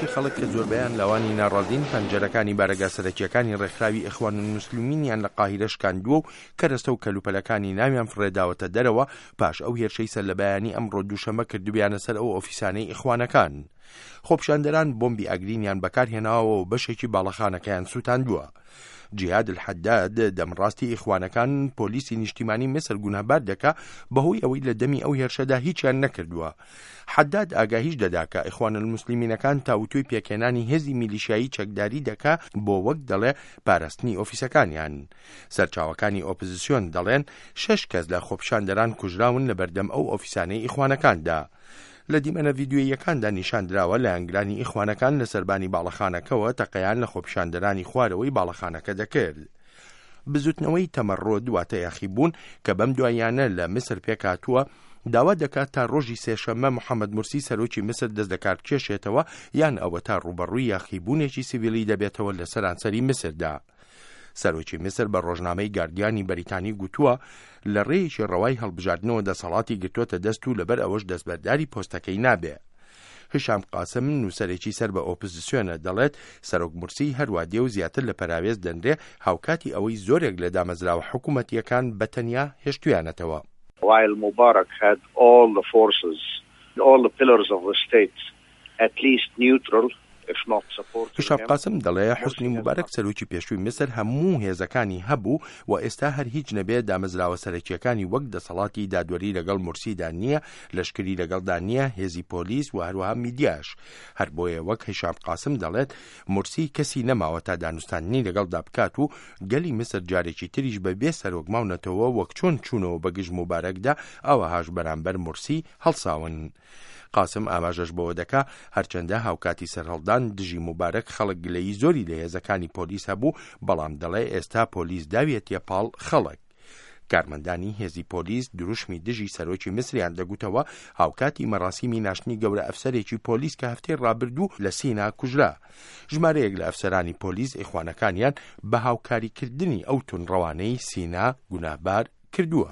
کۆمەڵێکی خەڵک کە زۆربەیان لاوانی ناڕازین، پەنجەرەکانی بارەگا سەرەکییەکانی ڕێکخراوی ئیخوانولموسلمینیان لە قاهیرە شکاندووە و کەرەستە و کەلوپەلەکانی ناویان فڕێداوەتە دەرەوە پاش ئەو هێرشەی سەرلەبەیانی ئەمڕۆ دووشەممە کردبیانە سەر ئەو ئۆفیسانەی ئیخوانەکان. خۆپیشاندەران بۆمبی ئاگرینیان بەکارهێناوە و بەشێکی باڵەخانەکەیان سووتاندووە. جیهاد الحەداد، دەمڕاستی ئیخوانەکان، پۆلیسی نیشتیمانی میسر گوناهبار دەکا بەهۆی ئەوەی لە دەمی ئەو هێرشەدا هیچیان نەکردووە. حەداد ئاگاهیش دەدا کە ئیخوانولموسلیمینەکان تاوتوێی پێکهێنانی هێزی میلیشیایی چەکداری دەکا بۆ وەک دەڵێ پاراستنی ئۆفیسەکانیان. سەرچاوەکانی ئۆپزسیۆن دەڵێن شەش کەس لە خۆپیشاندەران کوژراون لە بەردەم ئەو ئۆفیسانەی ئیخوانەکاندا. لە دیمەنە ڤیدیۆییەکاندا نیشان دراوە لایەنگرانی ئیخوانەکان لە سەربانی باڵەخانەکەوە تەقەیان لە خۆپیشاندەرانی خوارەوەی باڵەخانەکە دەکرد. بزوتنەوەی تەمەڕۆد واتە یاخیبوون کە بەم دواییانە لە میسر پێکهاتووە، داوا دەکات تا ڕۆژی سێشەممە محەمەد مورسی سەرۆکی میسر دەست لەکاربکێشێتەوە یان ئەوەتا ڕووبەڕووی یاخیبوونێکی سیڤیلی دەبێتەوە لە سەرانسەری میسردا. سەرۆکی میسر بە ڕۆژنامەی گاردیانی بەریتانی گوتووە، لە ڕێیەکی ڕەوای هەڵبژاردنەوە دەسەڵاتی گرتووەتە دەست و لەبەر ئەوەش دەستبەرداری پۆستەکەی نابێ. هیشام قاسم، نووسەرێکی سەر بە ئۆپزسیۆنە، دەڵێت، سەرۆک مورسی هەروا دێ و زیاتر لە پەراوێز دەنرێ، هاوکاتی ئەوەی زۆرێک لە دامەزراوە حکوومەتییەکان بە تەنیا هێشتوویانەتەوە. While Mubarak had all the forces, all the pillars of the state at least neutral, if not supporting هیشام him. قاسم دەڵێ، حوسنی موبارەک سەرۆکی پێشووی میسر هەموو هێزەکانی هەبوو و ئێستا هەر هیچ نەبێ دامەزراوە سەرەکییەکانی وەک دەسەڵاتی دادوەری لەگەڵ مورسیدا نییە، لەشکری لەگەڵدا نییە، هێزی پۆلیس و هەروەها میدیاش. هەر بۆیە وەک هیشام قاسم دەڵێت، مورسی کەسی نەماوە تا دانوستاندنی لەگەڵدا بکات و گەلی میسر جارێکی تریش بە بێ سەرۆک ماونەتەوە وەک چۆن چوونەوە بە گژ موبارەکدا ئاوەهاش بەرامبەر مورسی هەڵساون. قاسم ئاماژەش بەوە دەکا، هەرچەندە هاوکاتی سەرهەڵدان دژی موبارەک خەڵک گلەیی زۆری لە هێزەکانی پۆلیس هەبوو، بەڵام دەڵێ ئێستا پۆلیس داویەتیە پاڵ خەڵک. کارمەندانی هێزی پۆلیس دروشمی دژی سەرۆکی میسریان دەگوتەوە، هاوکاتی مەراسیمی ناشتنی گەورە ئەفسەرێکی پۆلیس کە هەفتەی ڕابردوو لە سینا کوژرا. ژمارەیەک لە ئەفسەرانی پۆلیس ئیخوانەکانیان بە هاوکاریکردنی ئەو توندڕەوانەی سینا گوناهبار کردووە.